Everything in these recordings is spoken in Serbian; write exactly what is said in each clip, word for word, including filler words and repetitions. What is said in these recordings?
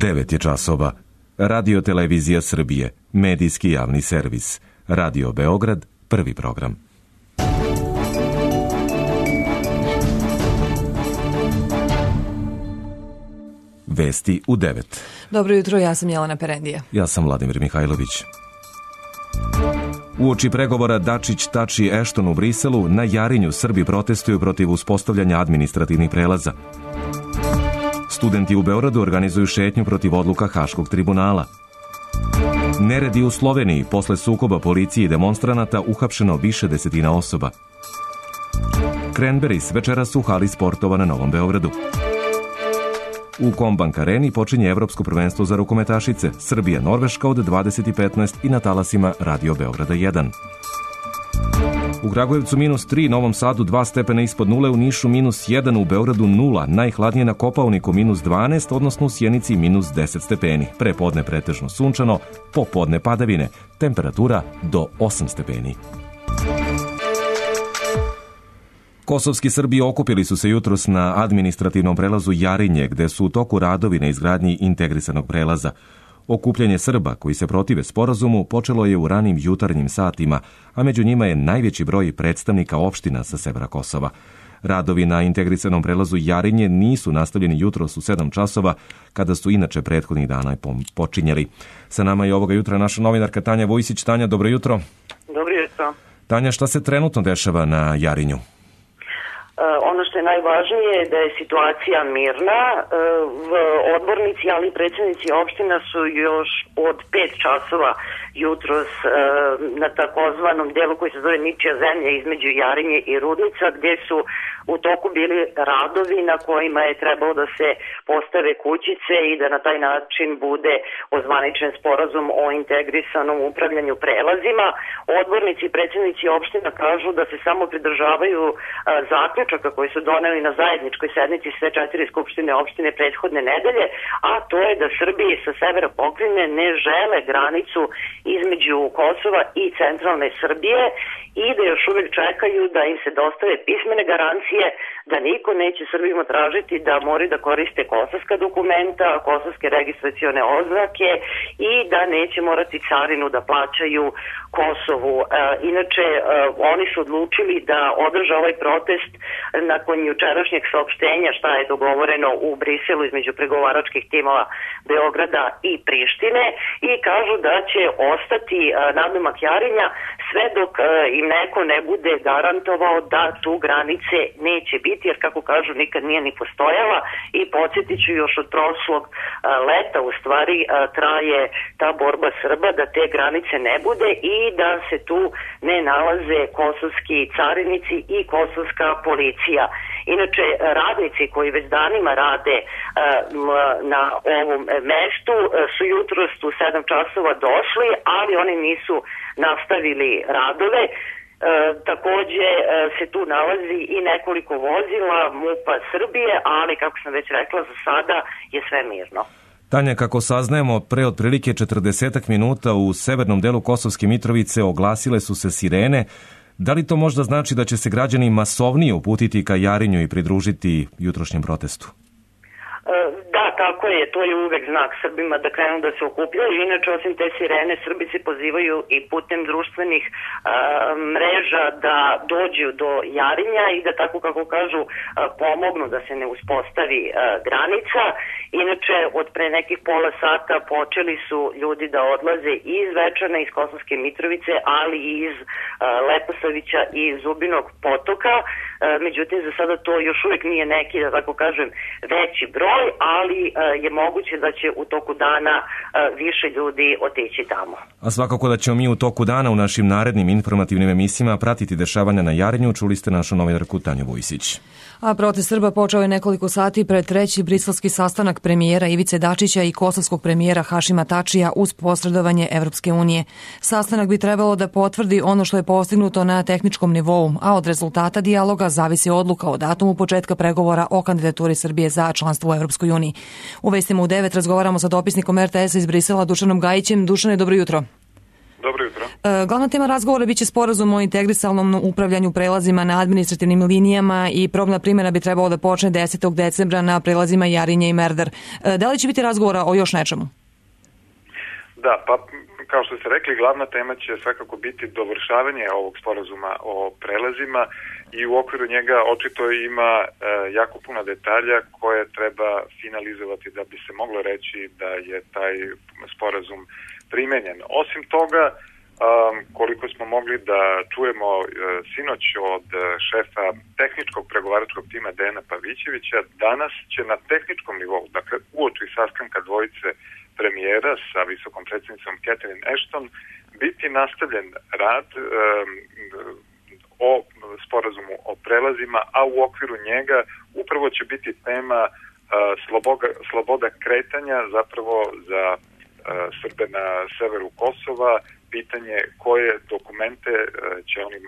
devet je časova. Radio Televizija Srbije, medijski javni servis. Radio Beograd, prvi program. Vesti u devet. Dobro jutro, ja sam Jelena Perendija. Ja sam Vladimir Mihajlović. Uoči pregovora Dačić-Tači-Ešton u Briselu, na Jarinju Srbi protestuju protiv uspostavljanja administrativnih prelaza. Studenti u Beogradu organizuju šetnju protiv odluka Haškog tribunala. Neredi u Sloveniji, posle sukoba policije i demonstranata, uhapšeno više desetina osoba. Cranberries večeras u hali sportova na Novom Beogradu. U Kombank areni počinje Evropsko prvenstvo za rukometašice, Srbija-Norveška od dvadeset petnaest i na talasima Radio Beograda jedan. U Kragujevcu minus tri, Novom Sadu dva stepena ispod nule, u Nišu minus jedan, u Beogradu nula, najhladnije na Kopaoniku minus dvanaest, odnosno u Sjenici minus deset stepeni. Pre podne pretežno sunčano, popodne padavine, temperatura do osam stepeni. Kosovski Srbi okupili su se jutros na administrativnom prelazu Jarinje, gde su u toku radovi na izgradnji integrisanog prelaza. Okupljanje Srba koji se protive sporazumu počelo je u ranim jutarnjim satima, a među njima je najveći broj predstavnika opština sa severa Kosova. Radovi na integrisanom prelazu Jarinje nisu nastavljeni jutros u sedam časova, kada su inače prethodnih dana počinjeli. Sa nama je ovoga jutra naša novinarka Tanja Vojsić. Tanja, dobro jutro. Dobro jutro. Tanja, šta se trenutno dešava na Jarinju? Ono što je najvažnije je da je situacija mirna. Odbornici, ali i predsjednici opština su još od pet časova jutros na takozvanom delu koji se zove Ničija zemlja između Jarinje i Rudnica, gdje su u toku bili radovi na kojima je trebalo da se postave kućice i da na taj način bude ozvaničen sporazum o integrisanom upravljanju prelazima. Odbornici i predsjednici opština kažu da se samo pridržavaju zaključaka koji su doneli na zajedničkoj sednici sve četiri skupštine opštine prethodne nedelje, a to je da Srbiji sa severa pokrajine ne žele granicu između Kosova i centralne Srbije i da još uvijek čekaju da im se dostave pismene garancije da niko neće Srbima tražiti da moraju da koriste kosovska dokumenta, kosovske registracione oznake i da neće morati carinu da plaćaju Kosovu. E, inače, e, oni su odlučili da održe ovaj protest nakon jučerašnjeg saopštenja šta je dogovoreno u Briselu između pregovaračkih timova Beograda i Prištine i kažu da će ostati e, nadomak Jarinja sve dok e, im neko ne bude garantovao da tu granice neće biti, jer kako kažu nikad nije ni postojala i podsjetit ću još od prošlog a, leta u stvari a, traje ta borba Srba da te granice ne bude i da se tu ne nalaze kosovski carinici i kosovska policija. Inače, radnici koji već danima rade a, na ovom mestu a, su jutros u sedam časova došli, ali oni nisu nastavili radove. E, takođe e, se tu nalazi i nekoliko vozila MUP-a Srbije, ali kako sam već rekla, za sada je sve mirno. Tanja, kako saznajemo, pre otprilike četrdesetak minuta u severnom delu Kosovske Mitrovice oglasile su se sirene. Da li to možda znači da će se građani masovnije uputiti ka Jarinju i pridružiti jutrošnjem protestu? Da, tako je, to je uvek znak Srbima da krenu da se okupljaju. Inače, osim te sirene, Srbi se pozivaju i putem društvenih a, mreža da dođu do Jarinja i da, tako kako kažu, a, pomognu da se ne uspostavi a, granica. Inače, od pre nekih pola sata počeli su ljudi da odlaze iz Večana, iz Kosovske Mitrovice, ali i iz a, Leposavića i Zubinog potoka. A, međutim, za sada to još uvijek nije neki, da tako kažem, veći broj, ali je moguće da će u toku dana više ljudi otići tamo. A svakako da ćemo mi u toku dana u našim narednim informativnim emisijama pratiti dešavanja na Jarinju. Čuli ste našu novinarku Tanju Vojsić. A protest Srba počeo je nekoliko sati pred treći briselski sastanak premijera Ivice Dačića i kosovskog premijera Hašima Tačija uz posredovanje Evropske unije. Sastanak bi trebalo da potvrdi ono što je postignuto na tehničkom nivou, a od rezultata dijaloga zavisi odluka o datumu početka pregovora o kandidaturi Srbije za članstvo u Evropskoj uniji. U vestima u devet razgovaramo sa dopisnikom er te esa iz Brisela Dušanom Gajićem. Dušane, dobro jutro. Dobro jutro. Glavna tema razgovora biće sporazum o integrisanom upravljanju prelazima na administrativnim linijama i probna primjena bi trebalo da počne desetog decembra na prelazima Jarinje i Merdar. Da li će biti razgovora o još nečemu? Da, pa kao što ste rekli, glavna tema će svakako biti dovršavanje ovog sporazuma o prelazima i u okviru njega očito ima e, jako puno detalja koje treba finalizovati da bi se moglo reći da je taj sporazum primenjen. Osim toga, um, koliko smo mogli da čujemo uh, sinoć od uh, šefa tehničkog pregovaračkog tima Dejana Pavićevića, danas će na tehničkom nivou, dakle uoči sastanka dvojice premijera sa visokom predsjednicom Catherine Ashton, biti nastavljen rad um, o sporazumu o prelazima, a u okviru njega upravo će biti tema uh, sloboda, sloboda kretanja zapravo za Srbe na severu Kosova, pitanje koje dokumente će oni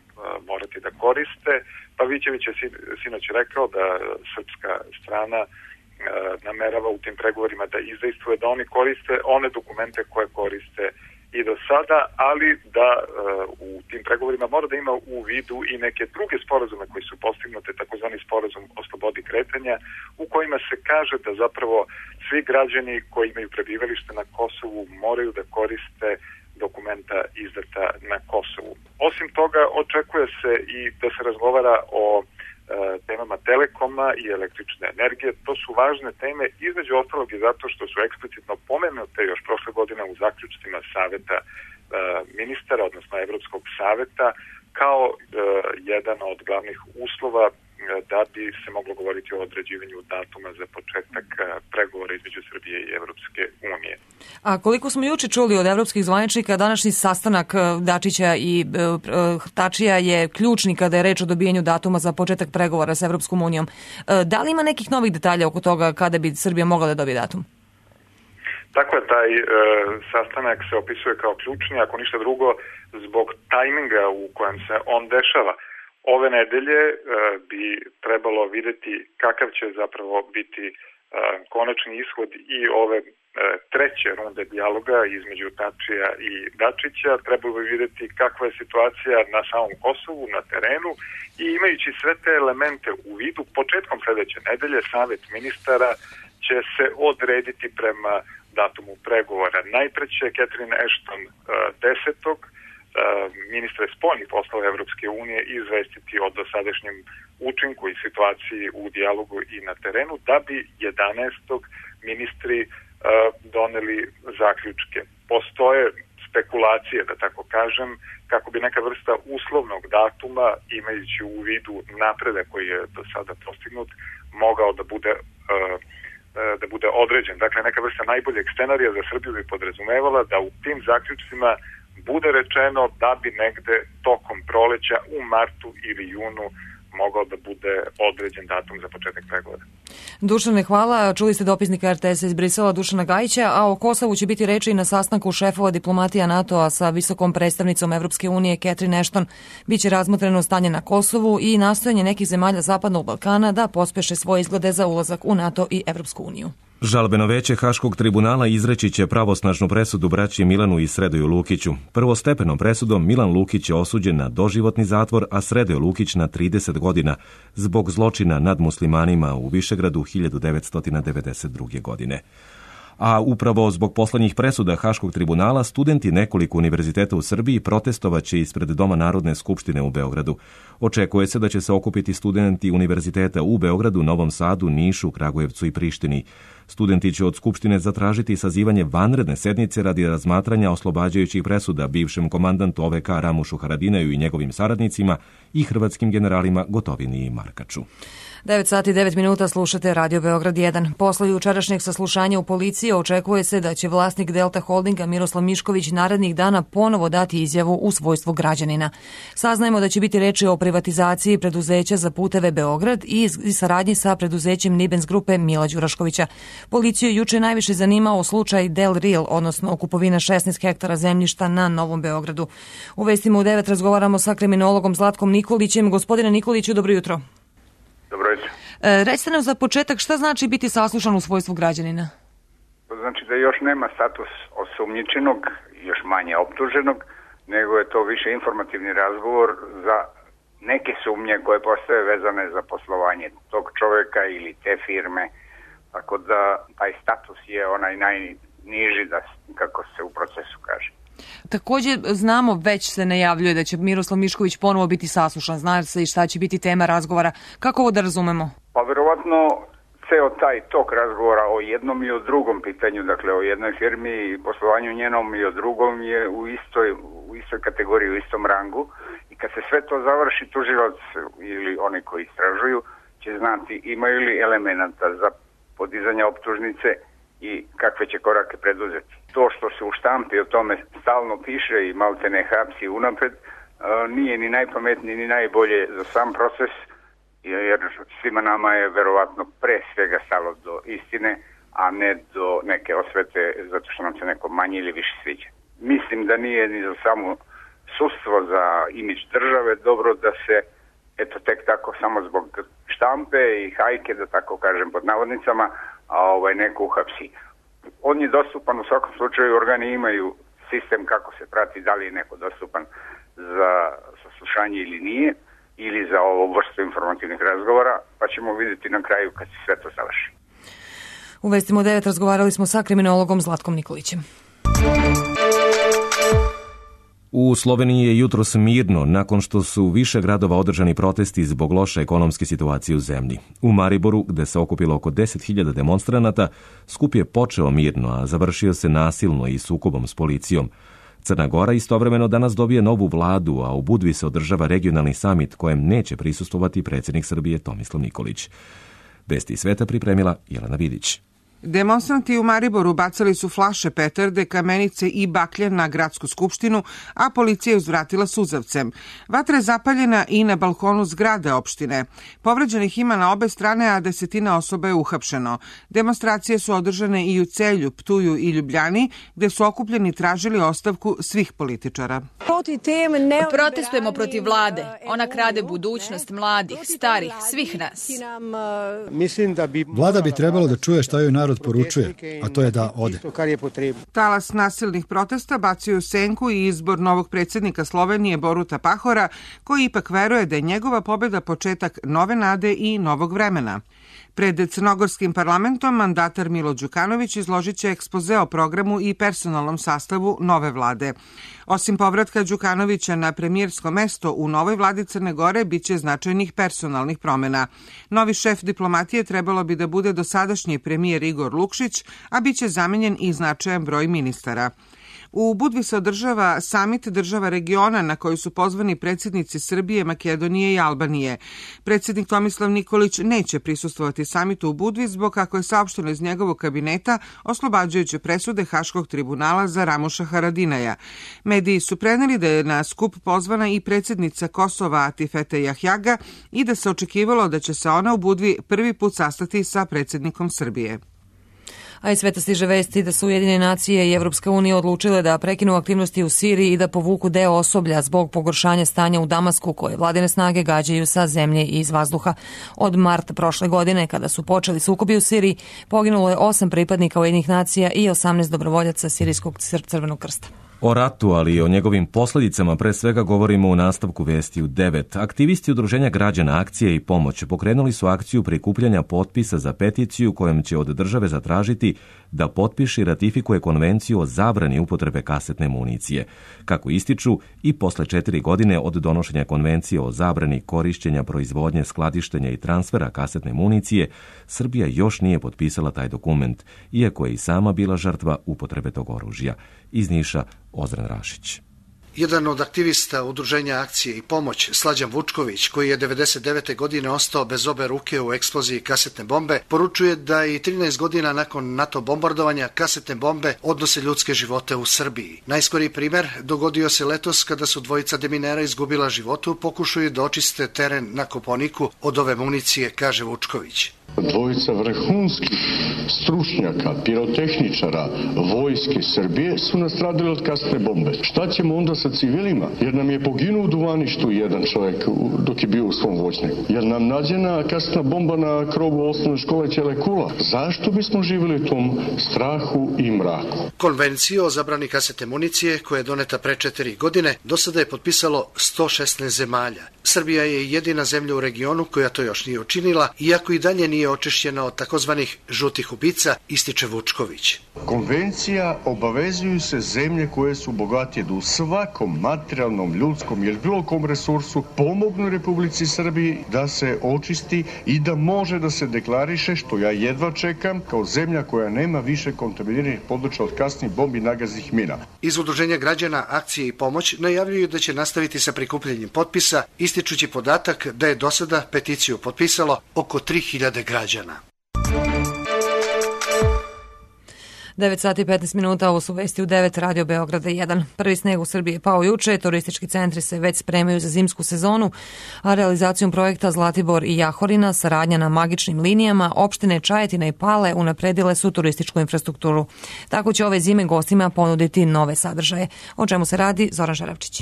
morati da koriste. Pavićević je sinoć rekao da srpska strana namerava u tim pregovorima da izdejstvuje da oni koriste one dokumente koje koriste i do sada, ali da u tim pregovorima mora da ima u vidu i neke druge sporazume koji su postignute, takozvani sporazum o slobodi kretanja, u kojima se kaže da zapravo svi građani koji imaju prebivalište na Kosovu moraju da koriste dokumenta izdata na Kosovu. Osim toga, očekuje se i da se razgovara o e, temama telekoma i električne energije. To su važne teme, između ostalog i zato što su eksplicitno pomenute još prošle godine u zaključcima Saveta e, ministara, odnosno Evropskog saveta, kao e, jedan od glavnih uslova da bi se moglo govoriti o određivanju datuma za početak pregovora između Srbije i Evropske unije. A koliko smo juče čuli od evropskih zvaničnika, današnji sastanak Dačića i Tačija je ključni kada je reč o dobijanju datuma za početak pregovora sa Evropskom unijom. Da li ima nekih novih detalja oko toga kada bi Srbija mogla da dobije datum? Tako je, taj e, sastanak se opisuje kao ključni, ako ništa drugo, zbog tajminga u kojem se on dešava. Ove nedelje e, bi trebalo videti kakav će zapravo biti e, konačni ishod i ove e, treće runde dijaloga između Tačija i Dačića. Trebalo bi videti kakva je situacija na samom Kosovu, na terenu i imajući sve te elemente u vidu, početkom sledeće nedelje Savet ministara će se odrediti prema datumu pregovora. Najpre će Catherine Ashton e, desetog ministre spoljnih poslova Evropske unije izvestiti o dosadašnjem učinku i situaciji u dijalogu i na terenu, da bi jedanaestog ministri uh, doneli zaključke. Postoje spekulacije, da tako kažem, kako bi neka vrsta uslovnog datuma, imajući u vidu napredak koji je do sada postignut, mogao da bude uh, da bude određen. Dakle, neka vrsta najboljeg scenarija za Srbiju bi podrazumevala da u tim zaključcima bude rečeno da bi negde tokom proleća u martu ili junu mogao da bude određen datum za početak pregovora. Dušane, hvala. Čuli ste dopisnika er te es iz Brisela Dušana Gajića, a o Kosovu će biti reči i na sastanku šefova diplomatija NATO-a sa visokom predstavnicom Evropske unije Catherine Ashton. Biće razmotreno stanje na Kosovu i nastojanje nekih zemalja Zapadnog Balkana da pospeše svoje izglede za ulazak u NATO i Evropsku uniju. Žalbeno veće Haškog tribunala izreći će pravosnažnu presudu braći Milanu i Sredoju Lukiću. Prvostepenom presudom Milan Lukić je osuđen na doživotni zatvor, a Sredoje Lukić na trideset godina zbog zločina nad muslimanima u Višegradu hiljadu devetsto devedeset druge. godine. A upravo zbog poslednjih presuda Haškog tribunala studenti nekoliko univerziteta u Srbiji protestovaće ispred Doma Narodne skupštine u Beogradu. Očekuje se da će se okupiti studenti univerziteta u Beogradu, Novom Sadu, Nišu, Kragujevcu i Prištini. Studenti će od Skupštine zatražiti sazivanje vanredne sednice radi razmatranja oslobađajućih presuda bivšem komandantu o ve ka Ramušu Haradinaju i njegovim saradnicima i hrvatskim generalima Gotovini i Markaču. devet sati i devet minuta slušate Radio Beograd jedan. Posle jučerašnjeg saslušanja u policiji očekuje se da će vlasnik Delta Holdinga Miroslav Mišković narednih dana ponovo dati izjavu u svojstvu građanina. Saznajemo da će biti reči o privatizaciji preduzeća za puteve Beograd i saradnji sa preduzećem Nibens grupe Mila Đuraškovića. Policiju juče najviše zanimao slučaj Del Real, odnosno kupovina šesnaest hektara zemljišta na Novom Beogradu. U vestima u devet razgovaramo sa kriminologom Zlatkom Nikolićem. Gospodine Nikoliću, dobro jutro. Dobro jutro. E, recite nam za početak šta znači biti saslušan u svojstvu građanina? To znači da još nema status osumnjičenog, još manje optuženog, nego je to više informativni razgovor za neke sumnje koje postoje vezane za poslovanje tog čoveka ili te firme. Tako da taj status je onaj najniži, da, kako se u procesu kaže. Takođe znamo, već se najavljuje da će Miroslav Mišković ponovo biti saslušan. Zna se i šta će biti tema razgovora. Kako ovo da razumemo? Pa verovatno ceo taj tok razgovora o jednom i o drugom pitanju, dakle o jednoj firmi i poslovanju njenom i o drugom je u istoj, u istoj kategoriji, u istom rangu. I kad se sve to završi, tužilac ili oni koji istražuju će znati imaju li elemenata za podizanje optužnice i kakve će korake preduzeti. To što se u štampi o tome stalno piše i malte ne hapsi unapred, nije ni najpametnije ni najbolje za sam proces, jer svima nama je verovatno pre svega stalo do istine, a ne do neke osvete zato što nam se neko manje ili više sviđa. Mislim da nije ni za samo sudstvo, za imidž države dobro da se eto tek tako samo zbog štampe i hajke, da tako kažem pod navodnicama, a ovaj neko uhapsi. On je dostupan u svakom slučaju, organi imaju sistem kako se prati da li je neko dostupan za saslušanje ili nije, ili za ovo vrstu informativnih razgovora, pa ćemo vidjeti na kraju kad se sve to završi. U Vestima u devet razgovarali smo sa kriminologom Zlatkom Nikolićem. U Sloveniji je jutros mirno nakon što su u više gradova održani protesti zbog loše ekonomske situacije u zemlji. U Mariboru, gde se okupilo oko deset hiljada demonstranata, skup je počeo mirno, a završio se nasilno i sukobom s policijom. Crna Gora istovremeno danas dobije novu vladu, a u Budvi se održava regionalni samit kojem neće prisustvovati predsjednik Srbije Tomislav Nikolić. Vesti iz sveta pripremila Jelena Vidić. Demonstranti u Mariboru bacali su flaše, petarde, kamenice i baklje na gradsku skupštinu, a policija je uzvratila suzavcem. Vatra je zapaljena i na balkonu zgrade opštine. Povređenih ima na obe strane, a desetina osoba je uhapšeno. Demonstracije su održane i u Celju, Ptuju i Ljubljani, gde su okupljeni tražili ostavku svih političara. Protestujemo protiv vlade. Ona krade budućnost mladih, starih, svih nas. Vlada bi trebalo da čuje šta joj narod poručuje, a to je da ode. Talas nasilnih protesta bacio u senku i izbor novog predsjednika Slovenije Boruta Pahora, koji ipak veruje da je njegova pobjeda početak nove nade i novog vremena. Pred crnogorskim parlamentom mandatar Milo Đukanović izložit će ekspoze o programu i personalnom sastavu nove vlade. Osim povratka Đukanovića na premijersko mesto u novoj vladi Crne Gore biće značajnih personalnih promjena. Novi šef diplomatije trebalo bi da bude dosadašnji premijer Igor Lukšić, a biće zamenjen i značajan broj ministara. U Budvi se održava samit država regiona na koji su pozvani predsjednici Srbije, Makedonije i Albanije. Predsjednik Tomislav Nikolić neće prisustvovati samitu u Budvi zbog, kako je saopšteno iz njegovog kabineta, oslobađajuće presude Haškog tribunala za Ramuša Haradinaja. Mediji su preneli da je na skup pozvana i predsjednica Kosova Atifete Jahjaga i da se očekivalo da će se ona u Budvi prvi put sastati sa predsjednikom Srbije. A iz sveta stiže vesti da su Ujedinjene nacije i Evropska unija odlučile da prekinu aktivnosti u Siriji i da povuku deo osoblja zbog pogoršanja stanja u Damasku, koje vladine snage gađaju sa zemlje i iz vazduha. Od marta prošle godine, kada su počeli sukobi u Siriji, poginulo je osam pripadnika Ujedinjenih nacija i osamnaest dobrovoljaca Sirijskog Crvenog krsta. O ratu, ali i o njegovim posljedicama pre svega govorimo u nastavku vesti u devet. Aktivisti Udruženja građana Akcije i pomoć pokrenuli su akciju prikupljanja potpisa za peticiju kojom će od države zatražiti da potpiše i ratifikuje konvenciju o zabrani upotrebe kasetne municije. Kako ističu, i posle četiri godine od donošenja konvencije o zabrani korišćenja, proizvodnje, skladištenja i transfera kasetne municije, Srbija još nije potpisala taj dokument, iako je i sama bila žrtva upotrebe tog oružja. Iz Niša, Ozren Rašić. Jedan od aktivista Udruženja Akcije i pomoć, Slađan Vučković, koji je devedeset devete godine ostao bez obe ruke u eksploziji kasetne bombe, poručuje da i trinaest godina nakon NATO bombardovanja kasetne bombe odnose ljudske živote u Srbiji. Najskoriji primer dogodio se letos kada su dvojica deminera izgubila životu, pokušaju da očiste teren na Koponiku od ove municije, kaže Vučković. Dvojica vrhunskih stručnjaka, pirotehničara vojske Srbije su nastradili od kasne bombe. Šta ćemo onda sa civilima? Jer nam je poginuo u duvaništu jedan čovjek dok je bio u svom voćnjaku. Jer nam nađena kasna bomba na krovu osnovne škole Ćelekula. Zašto bismo živjeli u tom strahu i mraku? Konvenciju o zabrani kasetne municije, koja je doneta pre četiri godine, do sada je potpisalo sto šesnaest zemalja. Srbija je jedina zemlja u regionu koja to još nije učinila, iako i dalje nije očišćena od takozvanih žutih ubica, ističe Vučković. Konvencija obavezuju se zemlje koje su bogatije da u svakom materijalnom, ljudskom ili bilo kom resursu pomognu Republici Srbiji da se očisti i da može da se deklariše, što ja jedva čekam, kao zemlja koja nema više kontaminiranih područja od kasnih bombi i nagaznih mina. Iz Udruženja građana Akcije i pomoć najavljuju da će nastaviti sa prikupljanjem potpisa, ističući podatak da je do sada peticiju potpisalo oko tri hiljade građana. devet sati i petnaest minuta, ovo su vesti u devet, Radio Beograda jedan. Prvi sneg u Srbiji je pao juče, turistički centri se već spremaju za zimsku sezonu, a realizacijom projekta Zlatibor i Jahorina, saradnja na magičnim linijama, opštine Čajetina i Pale unapredile su turističku infrastrukturu. Tako će ove zime gostima ponuditi nove sadržaje. O čemu se radi, Zoran Žaravčić.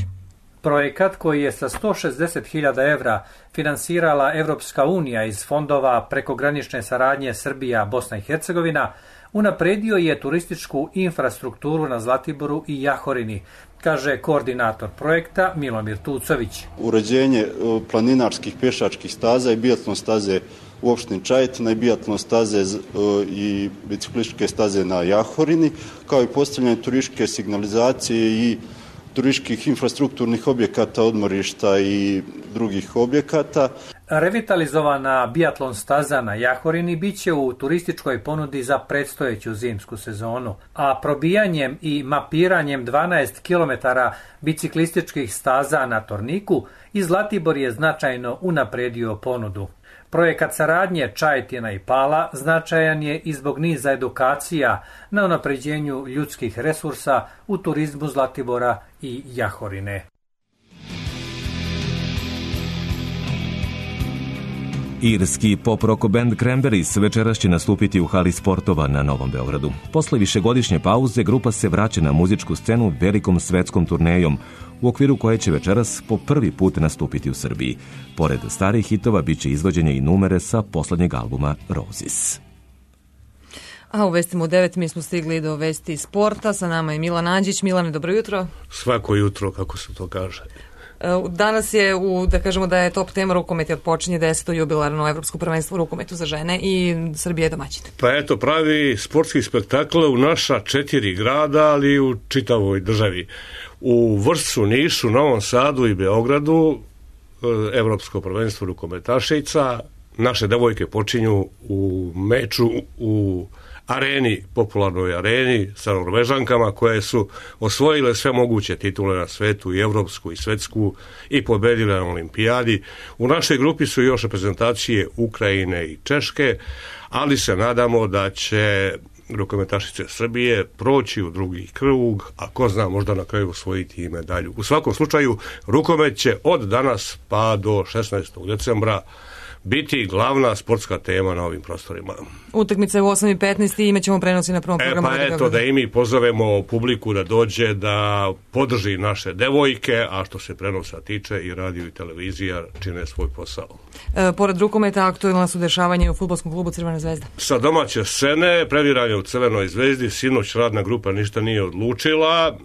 Projekat koji je sa sto šezdeset hiljada evra finansirala Evropska unija iz fondova prekogranične saradnje Srbija-Bosna i Hercegovina unapredio je turističku infrastrukturu na Zlatiboru i Jahorini, kaže koordinator projekta Milomir Tucović. Uređenje planinarskih pešačkih staza i biatlon staze u opštini Čajetina i biatlon staze i biciklističke staze na Jahorini, kao i postavljanje turističke signalizacije i turističkih infrastrukturnih objekata, odmorišta i drugih objekata. Revitalizovana biatlon staza na Jahorini biće u turističkoj ponudi za predstojeću zimsku sezonu, a probijanjem i mapiranjem dvanaest kilometara biciklističkih staza na Torniku i Zlatibor je značajno unapredio ponudu. Projekat saradnje Čajetina i Pala značajan je i zbog niza edukacija na unapređenju ljudskih resursa u turizmu Zlatibora i Jahorine. Irski pop-rock band Cranberries večeras će nastupiti u hali sportova na Novom Beogradu. Posle višegodišnje pauze grupa se vraća na muzičku scenu velikom svetskom turnejom, u okviru koje će večeras po prvi put nastupiti u Srbiji. Pored starih hitova biće izvođenje i numere sa poslednjeg albuma Roses. A u vestima u devet mi smo stigli do vesti sporta. Sa nama je Milan Anđić. Milane, dobro jutro. Svako jutro, kako se to kaže. Danas je, u, da kažemo da je top tema rukomet, odpočinje deseto jubilarno evropsko prvenstvo u rukometu za žene i Srbija je domaćin. Pa eto, pravi sportski spektakl u naša četiri grada, ali i u čitavoj državi. U Vršcu, Nišu, Novom Sadu i Beogradu evropsko prvenstvo rukometašica. Naše devojke počinju u meču u areni, popularnoj areni sa Norvežankama koje su osvojile sve moguće titule na svetu, i evropsku i svetsku, i pobedile na olimpijadi. U našoj grupi su još reprezentacije Ukrajine i Češke, ali se nadamo da će rukometašice Srbije proći u drugi krug, a ko zna, možda na kraju osvojiti i medalju. U svakom slučaju, rukomet će od danas pa do šesnaestog decembra biti glavna sportska tema na ovim prostorima. Utakmice u osam i petnaest i imat ćemo prenosi na prvom programu. E pa eto, da i mi pozovemo publiku da dođe, da podrži naše devojke, a što se prenosa tiče, i radio i televizija čine svoj posao. E, pored rukometa, aktualna su dešavanja u fudbalskom klubu Crvena zvezda. Sa domaće scene, previranje u Crvenoj zvezdi, sinoć radna grupa ništa nije odlučila.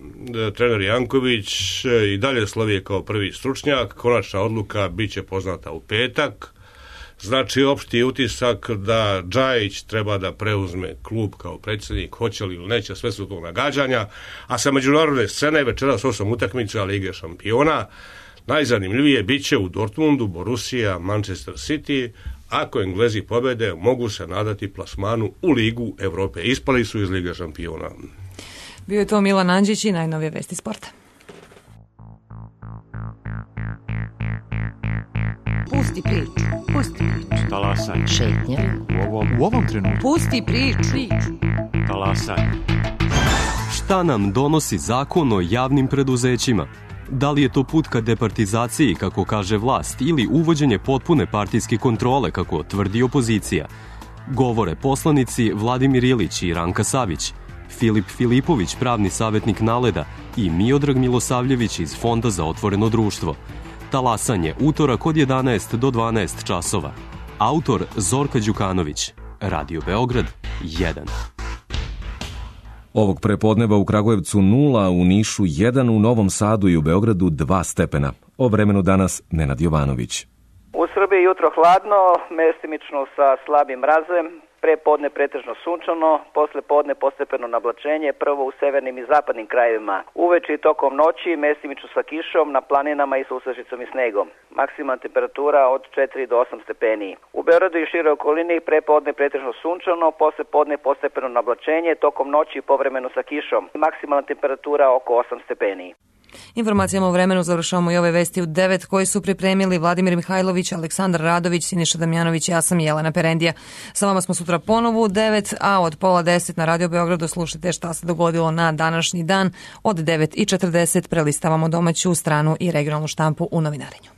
E, trener Janković i dalje slovi kao prvi stručnjak. Konačna odluka bit će poznata u petak. Znači, opšti utisak da Džajić treba da preuzme klub kao predsjednik, hoće li ili neće, sve su to nagađanja. A sa međunarodne scene večeras osam utakmica Lige šampiona. Najzanimljivije bit će u Dortmundu, Borussia, Manchester City. Ako Englezi pobede, mogu se nadati plasmanu u Ligu Evrope. Ispali su iz Lige šampiona. Bio je to Milan Anđić i najnovije vesti sporta. Pusti priču, pusti priču. Talasaj. Šetnja. U ovom, u ovom trenutku. Pusti priču. Talasaj. Šta nam donosi zakon o javnim preduzećima? Da li je to put ka departizaciji, kako kaže vlast, ili uvođenje potpune partijske kontrole, kako tvrdi opozicija? Govore poslanici Vladimir Ilić i Ranka Savić, Filip Filipović, pravni savjetnik Naleda i Miodrag Milosavljević iz Fonda za otvoreno društvo. Talasanje utorak od jedanaest do dvanaest časova. Autor Zorka Đukanović. Radio Beograd jedan. Ovog prepodneva u Kragujevcu nula, u Nišu jedan, u Novom Sadu i u Beogradu dva stepena. O vremenu danas Nenad Jovanović. U Srbiji jutro hladno, mestimično sa slabim mrazem, pre podne pretežno sunčano, posle podne postepeno nablačenje, prvo u severnim i zapadnim krajevima. Uveče i tokom noći mestimično sa kišom, na planinama i sa uslažicom i snegom. Maksimalna temperatura od četiri do osam stepeni. U Beogradu i šire okolini pre podne pretežno sunčano, posle podne postepeno nablačenje, tokom noći povremeno sa kišom. Maksimalna temperatura oko osam stepeni. Informacijama o vremenu završavamo i ove vesti u devet koje su pripremili Vladimir Mihajlović, Aleksandar Radović, Siniša Damjanović i ja sam Jelena Perendija. Sa vama smo sutra ponovo u devet, a od pola deset na Radio Beogradu slušajte šta se dogodilo na današnji dan. Od devet i četrdeset prelistavamo domaću stranu i regionalnu štampu u novinarenju.